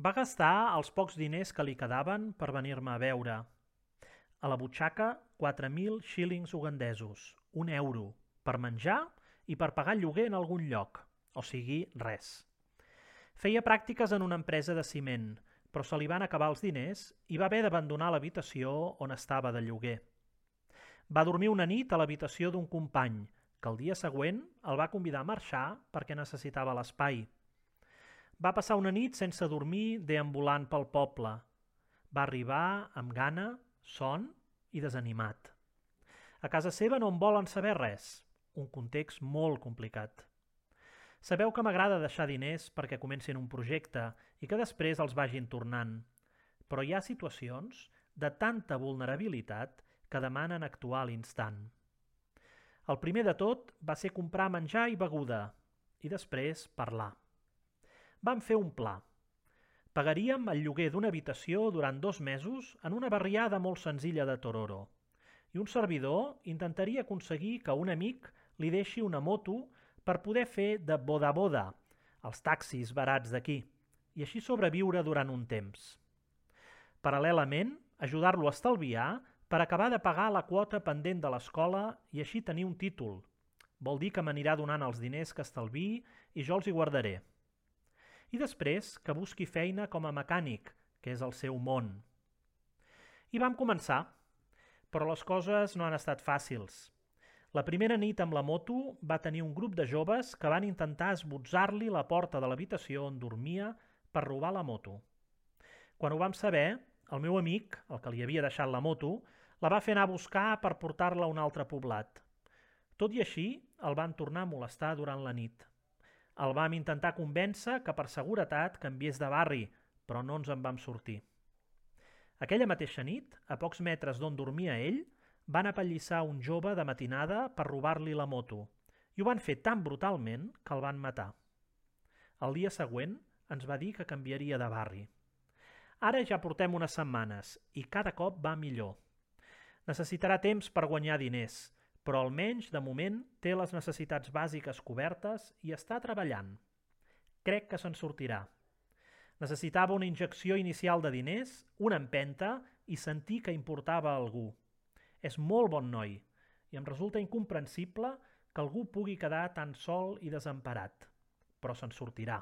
Va gastar els pocs diners que li quedaven per venir-me a veure. A la butxaca, 4.000 xílings ugandesos, un euro, per menjar i per pagar lloguer en algun lloc, o sigui, res. Feia pràctiques en una empresa de ciment, però se li van acabar els diners i va haver d'abandonar l'habitació on estava de lloguer. Va dormir una nit a l'habitació d'un company, que el dia següent el va convidar a marxar perquè necessitava l'espai. Va passar una nit sense dormir deambulant pel poble. Va arribar amb gana, son i desanimat. A casa seva no en volen saber res, un context molt complicat. Sabeu que m'agrada deixar diners perquè comencin un projecte i que després els vagin tornant, però hi ha situacions de tanta vulnerabilitat que demanen actuar a l'instant. El primer de tot va ser comprar menjar i beguda i després parlar. Vam fer un pla. Pagaríem el lloguer d'una habitació durant 2 mesos en una barriada molt senzilla de Tororo i un servidor intentaria aconseguir que un amic li deixi una moto per poder fer de boda-boda, els taxis barats d'aquí, i així sobreviure durant un temps. Paral·lelament, ajudar-lo a estalviar per acabar de pagar la quota pendent de l'escola i així tenir un títol. Vol dir que m'anirà donant els diners que estalviï i jo els hi guardaré. I després que busqui feina com a mecànic, que és el seu món. I vam començar, però les coses no han estat fàcils. La primera nit amb la moto va tenir un grup de joves que van intentar esbotzar-li la porta de l'habitació on dormia per robar la moto. Quan ho vam saber, el meu amic, el que li havia deixat la moto, la va fer anar a buscar per portar-la a un altre poblat. Tot i així, el van tornar a molestar durant la nit. El vam intentar convèncer que per seguretat canviés de barri, però no ens en vam sortir. Aquella mateixa nit, a pocs metres d'on dormia ell, van apallissar un jove de matinada per robar-li la moto i ho van fer tan brutalment que el van matar. El dia següent ens va dir que canviaria de barri. Ara ja portem unes setmanes i cada cop va millor. Necessitarà temps per guanyar diners, però almenys, de moment, té les necessitats bàsiques cobertes i està treballant. Crec que se'n sortirà. Necessitava una injecció inicial de diners, una empenta i sentir que importava a algú. És molt bon noi i em resulta incomprensible que algú pugui quedar tan sol i desemparat, però se'n sortirà.